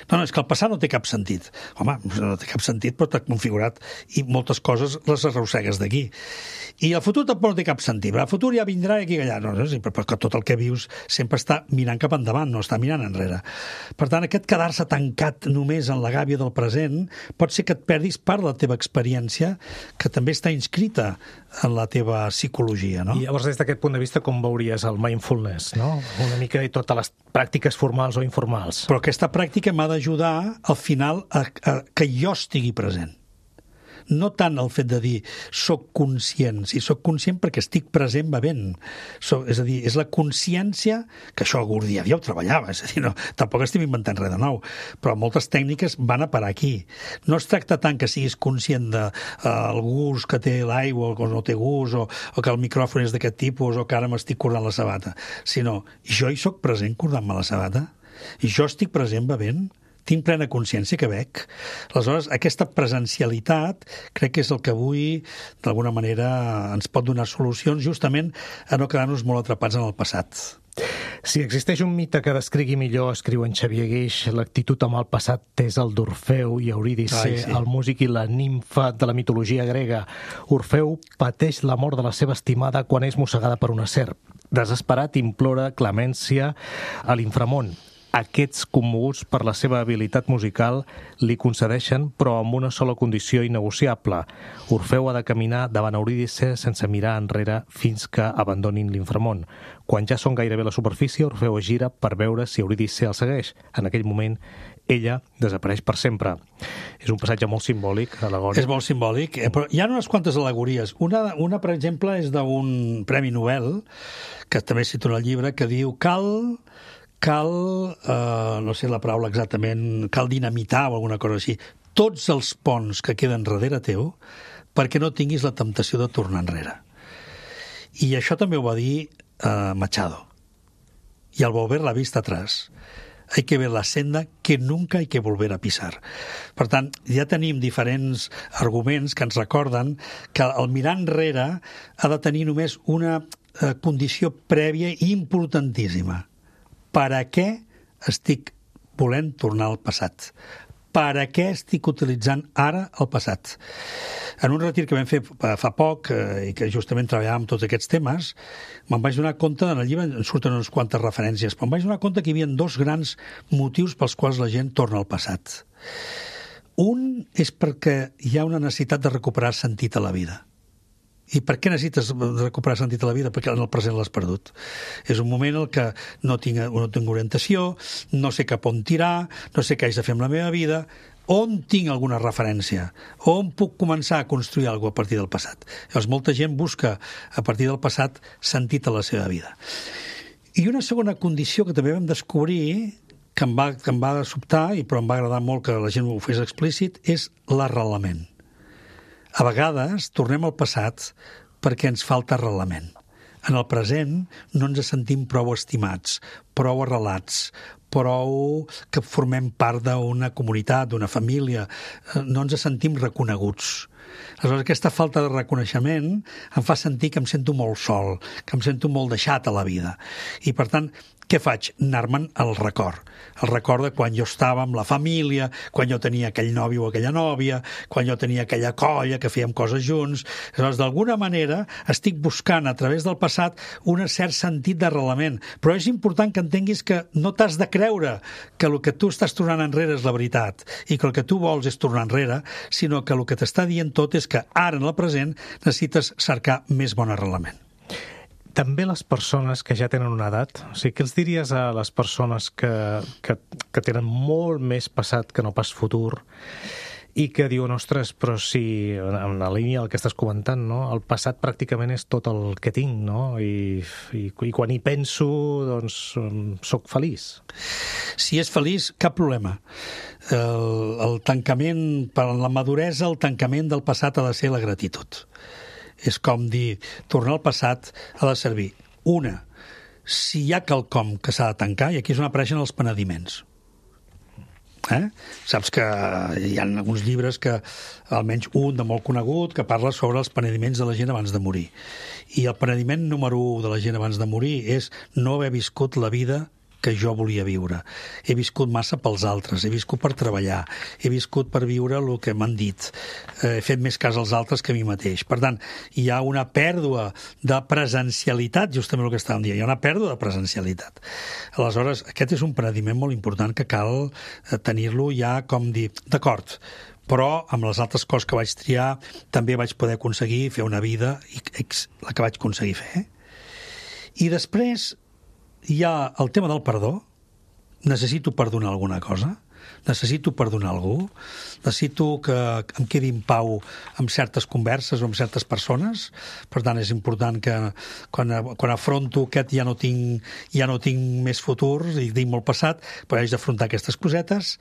No, no, és que el passat no té cap sentit. Home, no té cap sentit, però t'ha configurat i moltes coses les arrossegues d'aquí. I el futur tampoc no té cap sentit. El futur ja vindrà i aquí allà. No, no, perquè tot el que vius sempre està mirant cap endavant, no està mirant enrere. Per tant, aquest quedar-se tancat només en la gàbia del present pot ser que et perdis part de la teva experiència que també està inscrita en la teva psicologia, no? I llavors, des d'aquest punt de vista, com veuries el mindfulness, no? Una mica i totes les pràctiques formals o informals. Però aquesta pràctica m'ha d'ajudar, al final, a, a que jo estigui present. No tant el fet de dir soc conscient, si soc conscient perquè estic present bevent. So, és a dir, és la consciència, que això algú dia ja ho treballava, és a dir, no, tampoc estem inventant res de nou, però moltes tècniques van a parar aquí. No es tracta tant que siguis conscient del de, uh, gust que té l'aigua o que no té gust, o, o que el micròfon és d'aquest tipus, o que ara m'estic cordant la sabata, sinó jo hi soc present cordant-me la sabata, i jo estic present bevent, tinc plena consciència que bec. Aleshores, aquesta presencialitat crec que és el que avui, d'alguna manera, ens pot donar solucions justament a no quedar-nos molt atrapats en el passat. Si existeix un mite que descrigui millor, escriu en Xavier Guix, l'actitud amb el passat és el d'Orfeu i Eurídice, Ai, sí. el músic i la nimfa de la mitologia grega. Orfeu pateix la mort de la seva estimada quan és mossegada per una serp. Desesperat, implora clemència a l'inframón. Aquests, commoguts per la seva habilitat musical, li concedeixen, però amb una sola condició innegociable. Orfeu ha de caminar davant Eurídice sense mirar enrere fins que abandonin l'inframón. Quan ja són gairebé a la superfície, Orfeu es gira per veure si Eurídice el segueix. En aquell moment, ella desapareix per sempre. És un passatge molt simbòlic, alegòric. És molt simbòlic, eh? Però hi ha unes quantes al·legories. Una, una per exemple, és d'un Premi Nobel, que també cita en el llibre, que diu cal... cal, eh, no sé la paraula exactament, cal dinamitar o alguna cosa així, tots els ponts que queden darrere teu perquè no tinguis la temptació de tornar enrere. I això també ho va dir eh, Machado. Y al volver la vista atrás, hay que ver la senda que nunca hay que volver a pisar. Per tant, ja tenim diferents arguments que ens recorden que el mirar enrere ha de tenir només una eh, condició prèvia i importantíssima. Per a què estic volent tornar al passat? Per a què estic utilitzant ara el passat? En un retir que vam fer fa poc, eh, i que justament treballàvem tots aquests temes, me'n vaig donar compte, en el llibre en surten unes quantes referències, però em vaig donar compte que hi havia dos grans motius pels quals la gent torna al passat. Un és perquè hi ha una necessitat de recuperar sentit a la vida. I per què necessites recuperar sentit a la vida? Perquè en el present l'has perdut. És un moment en què no tinc, no tinc orientació, no sé cap on tirar, no sé què haig de fer amb la meva vida, on tinc alguna referència, on puc començar a construir alguna cosa a partir del passat. Llavors, molta gent busca a partir del passat sentit a la seva vida. I una segona condició que també vam descobrir, que em va, que em va sobtar, i però em va agradar molt que la gent ho fes explícit, és l'arrelament. A vegades tornem al passat perquè ens falta arrelament. En el present no ens sentim prou estimats, prou arrelats, prou que formem part d'una comunitat, d'una família, no ens sentim reconeguts. Aleshores, aquesta falta de reconeixement em fa sentir que em sento molt sol, que em sento molt deixat a la vida. I, per tant, què faig? Anar-me'n al record. El record de quan jo estava amb la família, quan jo tenia aquell nòvio o aquella nòvia, quan jo tenia aquella colla que fèiem coses junts. Aleshores, d'alguna manera, estic buscant a través del passat un cert sentit d'arrelament. Però és important que entenguis que no t'has de creure que el que tu estàs tornant enrere és la veritat i que el que tu vols és tornar enrere, sinó que el que t'està dient tot és que ara, en el present, necessites cercar més bon arrelament. També les persones que ja tenen una edat, o sigui, què els diries a les persones que, que, que tenen molt més passat que no pas futur i que diuen, ostres, però si en la línia del que estàs comentant, no? El passat pràcticament és tot el que tinc, no? I, i, i quan hi penso, doncs, soc feliç. Si és feliç, cap problema. El, el tancament, per la maduresa, el tancament del passat ha de ser la gratitud. És com dir, tornar al passat ha de servir. Una, si hi ha quelcom que s'ha de tancar, i aquí és on apareixen els penediments. Eh? Saps que hi ha alguns llibres que, almenys un de molt conegut, que parla sobre els penediments de la gent abans de morir. I el penediment número u de la gent abans de morir és no haver viscut la vida que jo volia viure. He viscut massa pels altres, he viscut per treballar, he viscut per viure el que m'han dit, he fet més cas als altres que a mi mateix. Per tant, hi ha una pèrdua de presencialitat, justament el que estàvem dient, hi ha una pèrdua de presencialitat. Aleshores, aquest és un paradigma molt important que cal tenir-lo ja com dir, d'acord, però amb les altres coses que vaig triar també vaig poder aconseguir fer una vida, la que vaig aconseguir fer. I després hi ha el tema del perdó. Necessito perdonar alguna cosa, necessito perdonar algú, necessito que em quedi en pau amb certes converses o amb certes persones. Per tant, és important que quan, quan afronto aquest ja no tinc, ja no tinc més futur i tinc molt passat, però haig d'afrontar aquestes cosetes,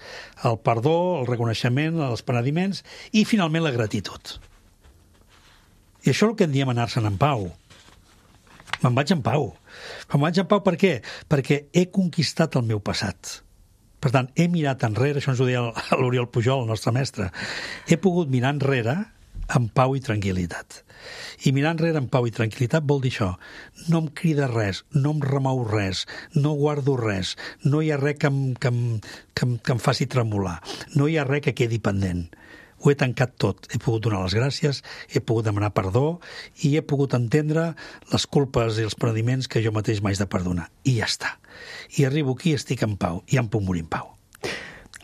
el perdó, el reconeixement, els penediments i, finalment, la gratitud. I això és el que en diem anar-se'n en pau. Me'n vaig en pau. Me'n vaig en pau per què? Perquè he conquistat el meu passat. Per tant, he mirat enrere, això ens ho deia l'Oriol Pujol, el nostre mestre, he pogut mirar enrere amb pau i tranquil·litat. I mirar enrere amb pau i tranquil·litat vol dir això. No em crida res, no em remou res, no guardo res, no hi ha res que em, que em, que em, que em faci tremolar, no hi ha res que quedi pendent. Ho he tancat tot. He pogut donar les gràcies, he pogut demanar perdó i he pogut entendre les culpes i els penediments que jo mateix m'haig de perdonar. I ja està. I arribo aquí i estic en pau. I em puc morir en pau.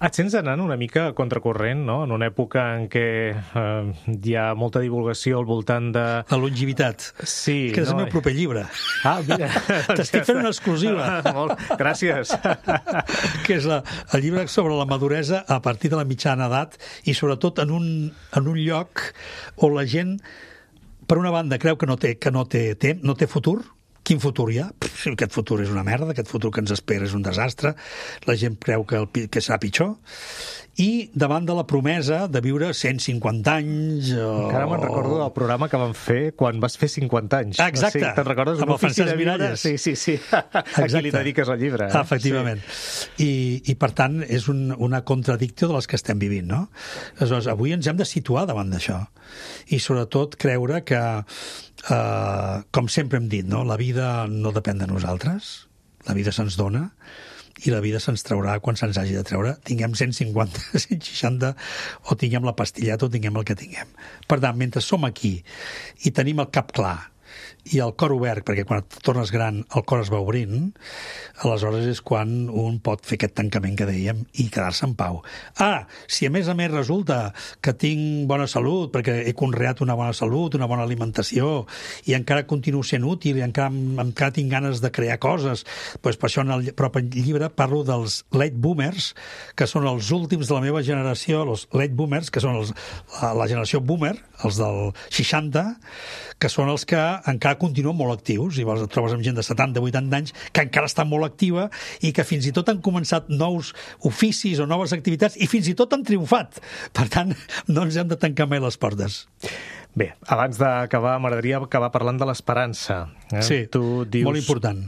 Et sents anant una mica a contracorrent, no? En una època en què eh, hi ha molta divulgació al voltant de... La longevitat. Sí. Que és no? el meu proper llibre. Ah, mira. T'estic fent una exclusiva. Molt. Gràcies. Que és la, el llibre sobre la maduresa a partir de la mitjana edat i sobretot en un, en un lloc on la gent, per una banda, creu que no té, que no té, té, no té futur. Quin futur hi ha? Pff, aquest futur és una merda, aquest futur que ens espera és un desastre, la gent creu que, el, que serà pitjor, i davant de la promesa de viure cent cinquanta anys... O... Encara me'n recordo del programa que vam fer quan vas fer cinquanta anys. Ah, exacte. Sí, te'n recordes? Amb el Francesc Miralles. Sí, sí, sí. A qui li dediques el llibre. Eh? Ah, efectivament. Sí. I, I, per tant, és un, una contradicció de les que estem vivint, no? Aleshores, avui ens hem de situar davant d'això. I, sobretot, creure que, eh, com sempre hem dit, no? La vida no depèn de nosaltres, la vida se'ns dona, i la vida se'ns traurà quan se'ns hagi de treure, tinguem cent cinquanta, cent seixanta, o tinguem la pastilleta o tinguem el que tinguem. Per tant, mentre som aquí i tenim el cap clar i el cor obert, perquè quan et tornes gran el cor es va obrint, aleshores és quan un pot fer aquest tancament que dèiem i quedar-se en pau. Ah, si a més a més resulta que tinc bona salut, perquè he conreat una bona salut, una bona alimentació, i encara continuo sent útil, i encara, encara tinc ganes de crear coses, doncs per això en el propi llibre parlo dels late boomers, que són els últims de la meva generació, els late boomers, que són els, la, la generació boomer, els del seixanta, que són els que encara continuen molt actius, i et trobes amb gent de setanta, vuitanta anys que encara està molt activa i que fins i tot han començat nous oficis o noves activitats i fins i tot han triomfat. Per tant, no ens hem de tancar mai les portes. Bé, abans d'acabar, m'agradaria acabar parlant de l'esperança. Eh? Sí, tu dius, molt important.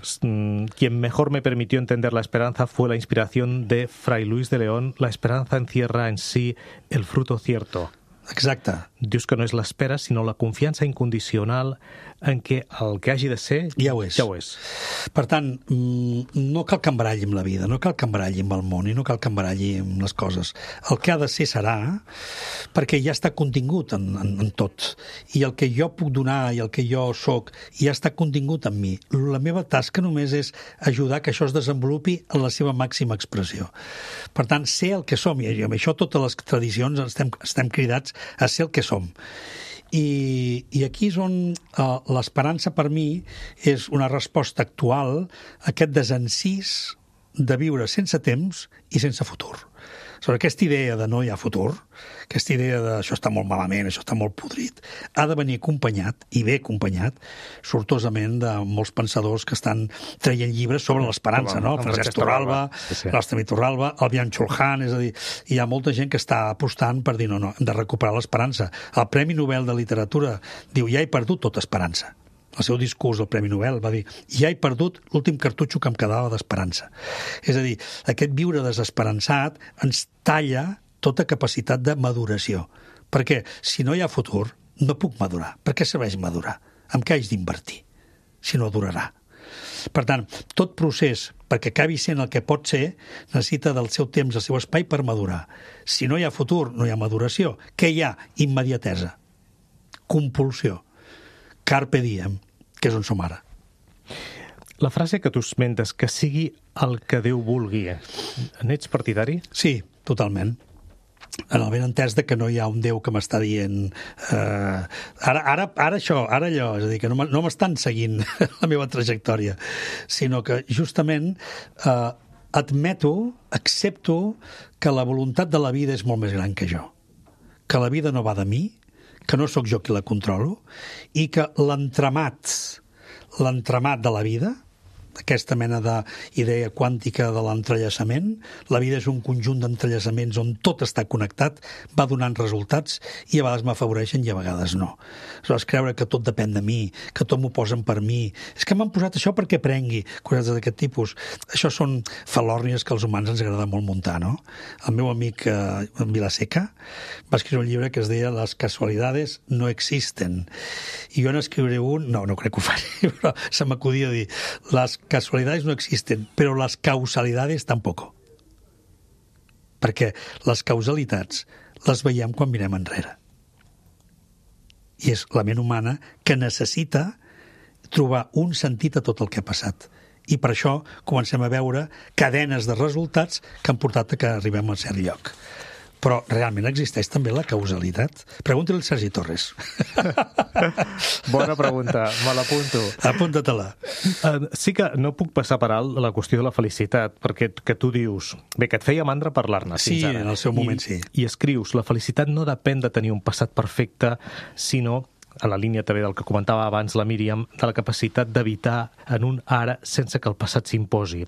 Quien mejor me permitió entender la esperanza fue la inspiración de Fray Luis de León. La esperanza encierra en sí el fruto cierto. Exacte. Dius que no és l'espera, sinó la confiança incondicional en què el que hagi de ser ja ho és. Ja ho és. Per tant, no cal que embaralli amb la vida, no cal que embaralli amb el món i no cal que embaralli amb les coses. El que ha de ser serà, perquè ja està contingut en, en, en tot. I el que jo puc donar i el que jo sóc ja està contingut en mi. La meva tasca només és ajudar que això es desenvolupi en la seva màxima expressió. Per tant, ser el que som, i amb això totes les tradicions estem, estem cridats a ser el que som. I, i aquí és on uh, l'esperança per mi és una resposta actual a aquest desencís de viure sense temps i sense futur. Sobre aquesta idea de no hi ha futur, aquesta idea de això està molt malament, això està molt podrit, ha de venir acompanyat, i bé acompanyat, sortosament de molts pensadors que estan traient llibres sobre l'esperança, no? El Francesc Torralba, sí, sí. l'Òstemi Torralba, el Bian Chulhan, és a dir, hi ha molta gent que està apostant per dir no, no, hem de recuperar l'esperança. El Premi Nobel de Literatura diu, ja he perdut tota esperança. El seu discurs, el Premi Nobel, va dir ja he perdut l'últim cartutxo que em quedava d'esperança. És a dir, aquest viure desesperançat ens talla tota capacitat de maduració. Perquè si no hi ha futur, no puc madurar. Per què serveix madurar? Amb què haig d'invertir? Si no durarà. Per tant, tot procés, perquè acabi sent el que pot ser, necessita del seu temps, del seu espai per madurar. Si no hi ha futur, no hi ha maduració. Què hi ha? Immediatesa. Compulsió. Carpe diem, que és on som ara. La frase que tu esmentes, que sigui el que Déu vulgui, n'ets partidari? Sí, totalment. En el ben entès de que no hi ha un Déu que m'està dient eh, ara, ara, ara això, ara allò, és a dir, que no m'estan seguint la meva trajectòria, sinó que justament eh, admeto, accepto que la voluntat de la vida és molt més gran que jo, que la vida no va de mi, que no sóc jo qui la controlo, i que l'entramat, l'entramat de la vida, aquesta mena d'idea quàntica de l'entrellaçament, la vida és un conjunt d'entrellaçaments on tot està connectat, va donant resultats i a vegades m'afavoreixen i a vegades no. Aleshores, creure que tot depèn de mi, que tot m'ho posen per mi, és que m'han posat això perquè prengui, coses d'aquest tipus. Això són falòrnies que als humans ens agrada molt muntar, no? El meu amic eh, Vilaseca va escriure un llibre que es deia Las casualidades no existen. I jo n'escriuré un, no, no crec que ho faci, però se m'acudia dir, les casualidades no existen, però les causalidades tampoco. Perquè les causalitats les veiem quan mirem enrere. I és la ment humana que necessita trobar un sentit a tot el que ha passat. I per això comencem a veure cadenes de resultats que han portat a que arribem a cert lloc. Però realment existeix també la causalitat? Pregunta-li al Sergi Torres. Bona pregunta, me l'apunto. Apunta-te-la. Uh, sí que no puc passar per alt la qüestió de la felicitat, perquè que tu dius... Bé, que et feia mandra parlar-ne sí, fins ara. Sí, en el seu moment I, sí. I escrius, la felicitat no depèn de tenir un passat perfecte, sinó, a la línia també del que comentava abans la Míriam, de la capacitat d'evitar en un ara sense que el passat s'imposi.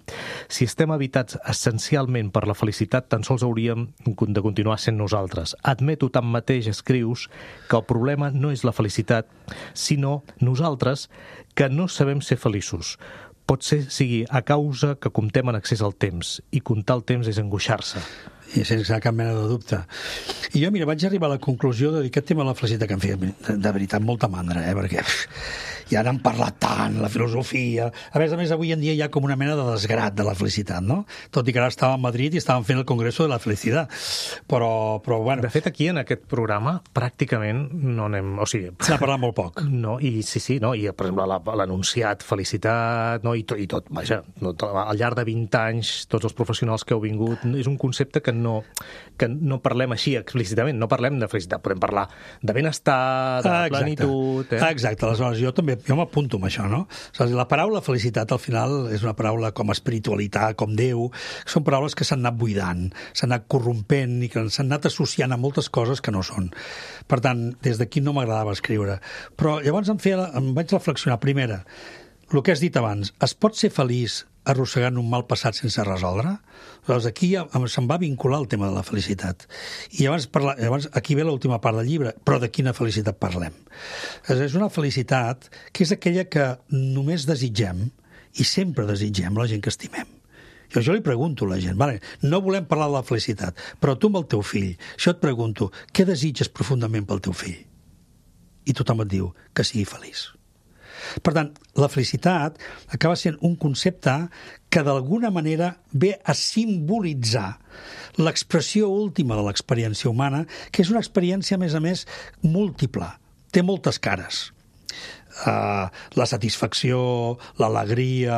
Si estem habitats essencialment per la felicitat, tan sols hauríem de continuar sent nosaltres. Admeto tanmateix, escrius, que el problema no és la felicitat, sinó nosaltres que no sabem ser feliços. Pot ser sigui a causa que comptem en excés el temps, i comptar el temps és angoixar-se. I sense cap mena de dubte. I jo, mira, vaig arribar a la conclusió de dir aquest tema de la felicitat que em feia, de, de veritat, molta mandra, eh? Perquè pff, ja n'han parlat tant, la filosofia... A més a més, avui en dia hi ha com una mena de desgrat de la felicitat, no? Tot i que ara estava a Madrid i estaven fent el Congreso de la Felicitat. Però, però bueno... De fet, aquí, en aquest programa, pràcticament no anem... O sigui... S'ha parlat molt poc. No, i sí, sí, no? I, per exemple, l'anunciat felicitat, no? I tot, i tot vaja, no, al llarg de vint anys, tots els professionals que heu vingut, és un concepte que no, que no parlem així explícitament, no parlem de felicitat, podem parlar de benestar, de ah, plenitud... Eh? Exacte, aleshores jo també, jo m'apunto amb això, no? La paraula felicitat al final és una paraula com espiritualitat, com Déu, són paraules que s'han anat buidant, s'han anat corrompent i que s'han anat associant a moltes coses que no són. Per tant, des d'aquí no m'agradava escriure. Però llavors em, feia, em vaig reflexionar. Primera, el que has dit abans, es pot ser feliç arrossegant un mal passat sense resoldre? Llavors aquí ja se'm va vincular el tema de la felicitat. I llavors, parla, llavors aquí ve l'última part del llibre, però de quina felicitat parlem? És una felicitat que és aquella que només desitgem i sempre desitgem la gent que estimem. Jo, jo li pregunto a la gent, vale, no volem parlar de la felicitat, però tu amb el teu fill, jo et pregunto, què desitges profundament pel teu fill? I tothom et diu que sigui feliç. Per tant, la felicitat acaba sent un concepte que d'alguna manera ve a simbolitzar l'expressió última de l'experiència humana, que és una experiència, a més a més, múltiple. Té moltes cares. Uh, la satisfacció, l'alegria,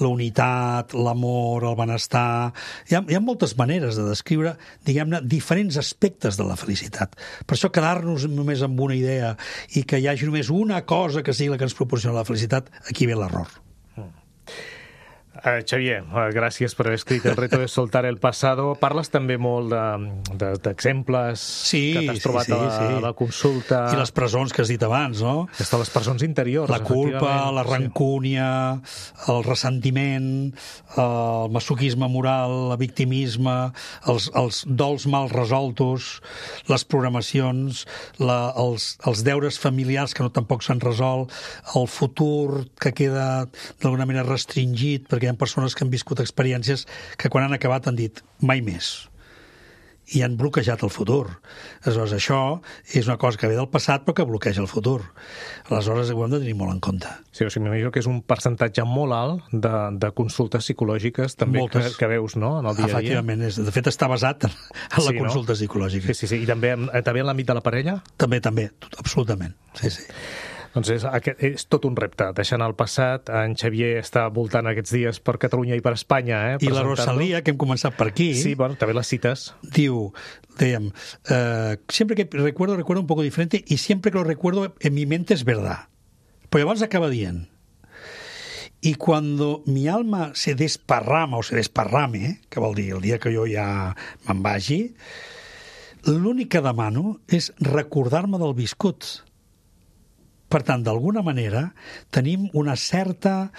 la unitat, l'amor, el benestar... Hi ha, hi ha moltes maneres de descriure, diguem-ne, diferents aspectes de la felicitat. Per això quedar-nos només amb una idea i que hi hagi només una cosa que sigui la que ens proporciona la felicitat, aquí ve l'error. Uh, Xavier, uh, gràcies per haver escrit El reto de soltar el pasado. Parles també molt d'exemples de, de, sí, que t'has trobat sí, sí, a, la, sí. a la consulta. I les presons que has dit abans, no? Aquestes les presons interiors, la culpa, la rancúnia, sí. el ressentiment, el masoquisme moral, el victimisme, els, els dols mal resoltos, les programacions, la, els, els deures familiars que no tampoc s'han resolt, el futur que queda d'alguna manera restringit, perquè hi ha persones que han viscut experiències que quan han acabat han dit mai més. i han bloquejat el futur. Aleshores, això és una cosa que ve del passat però que bloqueja el futur. Aleshores, ho hem de tenir molt en compte. Sí, o sigui, m'imagino que és un percentatge molt alt de, de consultes psicològiques també que, que veus, no?, en el dia a dia. Efectivament, és, de fet està basat en, en la sí, consulta no? psicològica. Sí, sí, sí. I també, també en l'àmbit de la parella? També, també, absolutament. Sí, sí. Doncs és, és tot un repte, deixant el passat. En Xavier està voltant aquests dies per Catalunya i per Espanya. Eh, I la Rosalía, que hem començat per aquí... Sí, bueno, també les cites. Diu, dèiem, eh, siempre que recuerdo, recuerdo un poco diferente y siempre que lo recuerdo en mi mente es verdad. Però llavors acaba dient, y cuando mi alma se desparrama o se desparrame, que vol dir el dia que jo ja me'n vagi, l'únic que demano és recordar-me del viscut. Per tant, d'alguna manera, tenim una certa,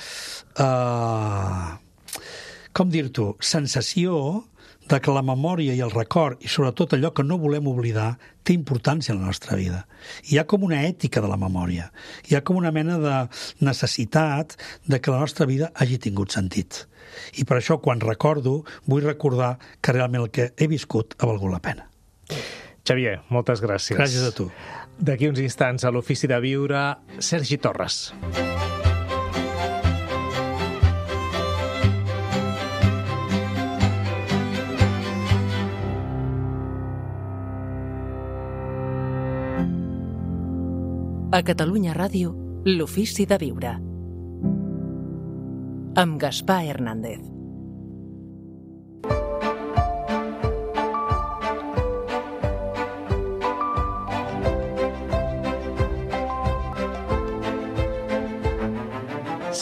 eh, com dir-t'ho, sensació de que la memòria i el record, i sobretot allò que no volem oblidar, té importància en la nostra vida. Hi ha com una ètica de la memòria. Hi ha com una mena de necessitat de que la nostra vida hagi tingut sentit. I per això, quan recordo, vull recordar que realment el que he viscut ha valgut la pena. Xavier, moltes gràcies. Gràcies a tu. D'aquí uns instants, a l'Ofici de Viure, Sergi Torres. A Catalunya Ràdio, l'Ofici de Viure. Amb Gaspar Hernández.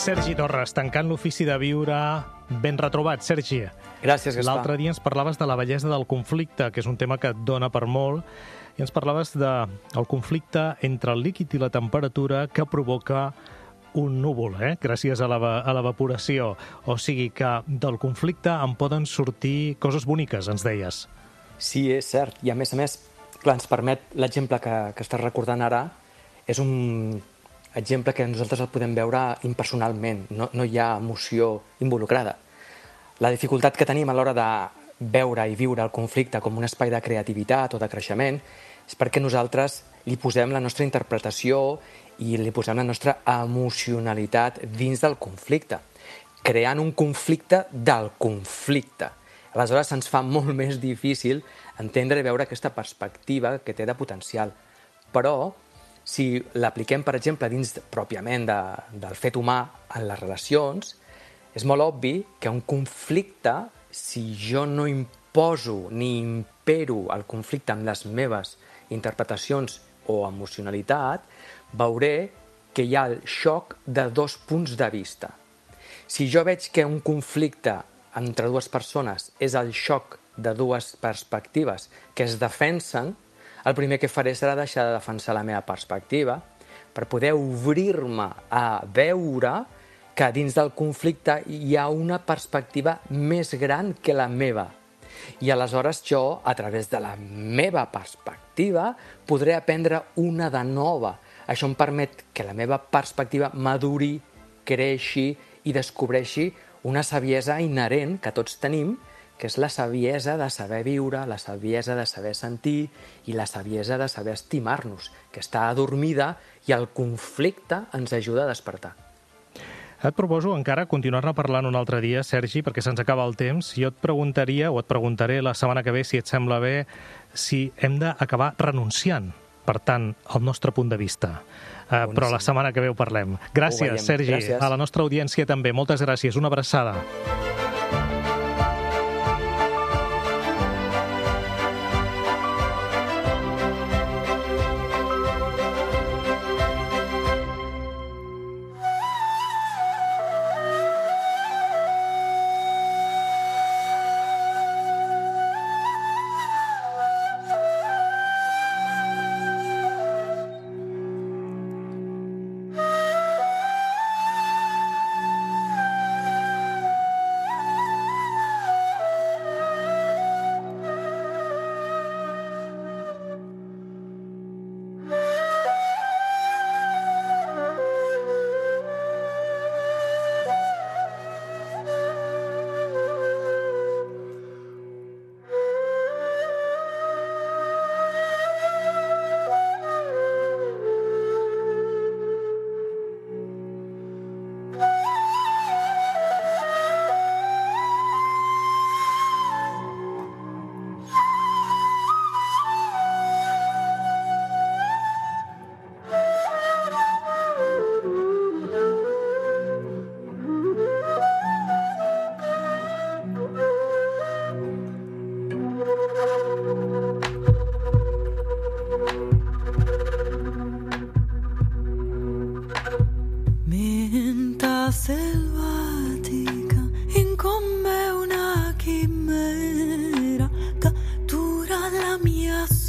Sergi Torres, tancant l'Ofici de Viure, ben retrobat, Sergi. Gràcies, Gaspar. L'altre dia ens parlaves de la bellesa del conflicte, que és un tema que et dona per molt, i ens parlaves del de conflicte entre el líquid i la temperatura que provoca un núvol, eh? gràcies a l'evaporació. O sigui que del conflicte en poden sortir coses boniques, ens deies. Sí, és cert. I a més a més, clar, ens permet l'exemple que, que estàs recordant ara, és un exemple que nosaltres el podem veure impersonalment, no, no hi ha emoció involucrada. La dificultat que tenim a l'hora de veure i viure el conflicte com un espai de creativitat o de creixement és perquè nosaltres li posem la nostra interpretació i li posem la nostra emocionalitat dins del conflicte, creant un conflicte del conflicte. Aleshores se'ns fa molt més difícil entendre i veure aquesta perspectiva que té de potencial. Però si l'apliquem, per exemple, dins pròpiament de, del fet humà en les relacions, és molt obvi que un conflicte, si jo no imposo ni impero el conflicte amb les meves interpretacions o emocionalitat, veuré que hi ha el xoc de dos punts de vista. Si jo veig que un conflicte entre dues persones és el xoc de dues perspectives que es defensen, el primer que faré serà deixar de defensar la meva perspectiva per poder obrir-me a veure que dins del conflicte hi ha una perspectiva més gran que la meva. I aleshores jo, a través de la meva perspectiva, podré aprendre una de nova. Això em permet que la meva perspectiva maduri, creixi i descobreixi una saviesa inherent que tots tenim, que és la saviesa de saber viure, la saviesa de saber sentir i la saviesa de saber estimar-nos, que està adormida i el conflicte ens ajuda a despertar. Et proposo encara continuar-ne parlant un altre dia, Sergi, perquè se'ns acaba el temps. Jo et preguntaria, o et preguntaré la setmana que ve, si et sembla bé, si hem d'acabar renunciant, per tant, al nostre punt de vista. Uh, però la setmana que ve ho parlem. Gràcies, Sergi. Gràcies. A la nostra audiència també. Moltes gràcies. Una abraçada.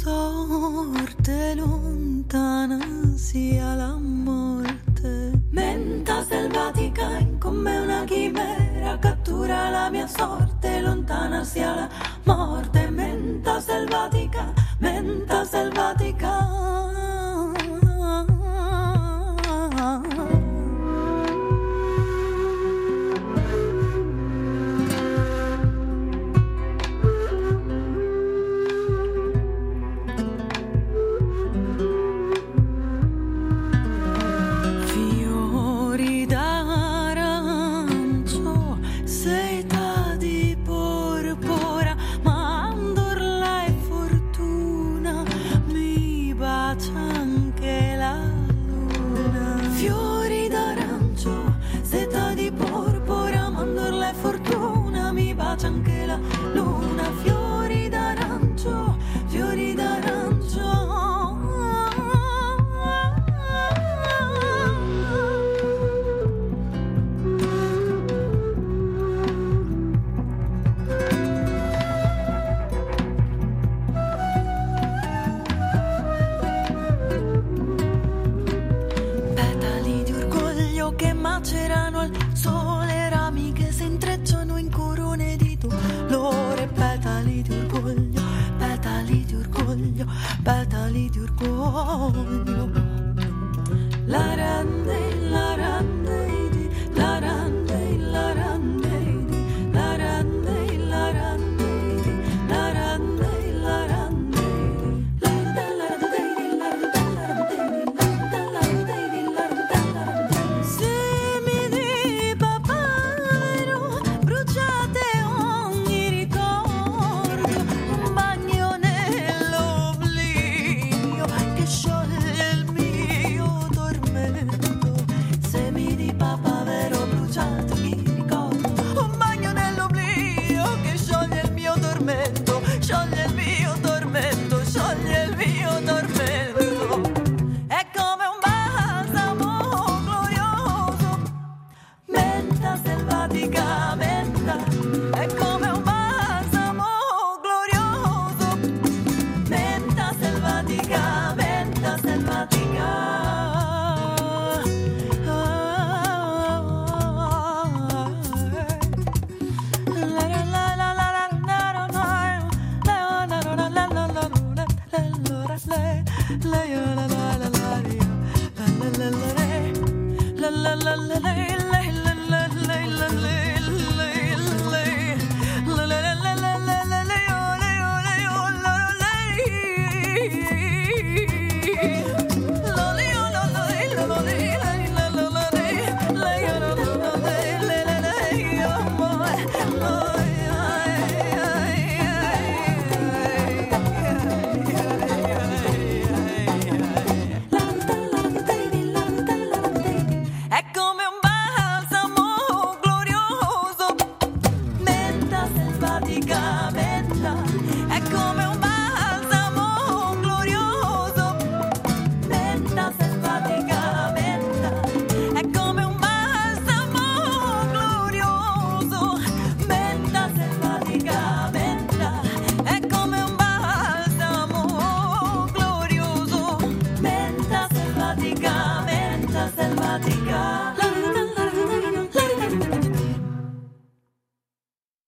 sorte lontana sia la morte. Menta selvatica in come una chimera cattura la mia sorte, lontana sia la morte. Menta selvatica, menta selvatica. Anche la luna, fiori d'arancio, fiori d'arancio. Petali di orgoglio che macerano al sole, rami che si intrecciano in corone di dolore, petali di orgoglio, petali di orgoglio, petali di orgoglio. La rande, la rande, di, la rande, la rande, di, la rande, la rande, di, la rande, la rande, di, la semi di papavero bruciate ogni ricordo, un bagno nell'oblio che scioglie il mio tormento. Semi di papavero bruciate ogni ricordo, un bagno nell'oblio che scioglie il mio tormento, scioglie il mio tormento, scioglie il mio tormento. È come un balsamo glorioso, menta selvatica, menta. È come un balsamo glorioso, menta selvatica, menta selvatica. È come un balsamo glorioso, menta selvatica, menta. È come un balsamo glorioso, menta selvatica, menta. È come un balsamo glorioso, menta selvatica, menta. È come un balsamo glorioso, menta selvatica, menta selvatica.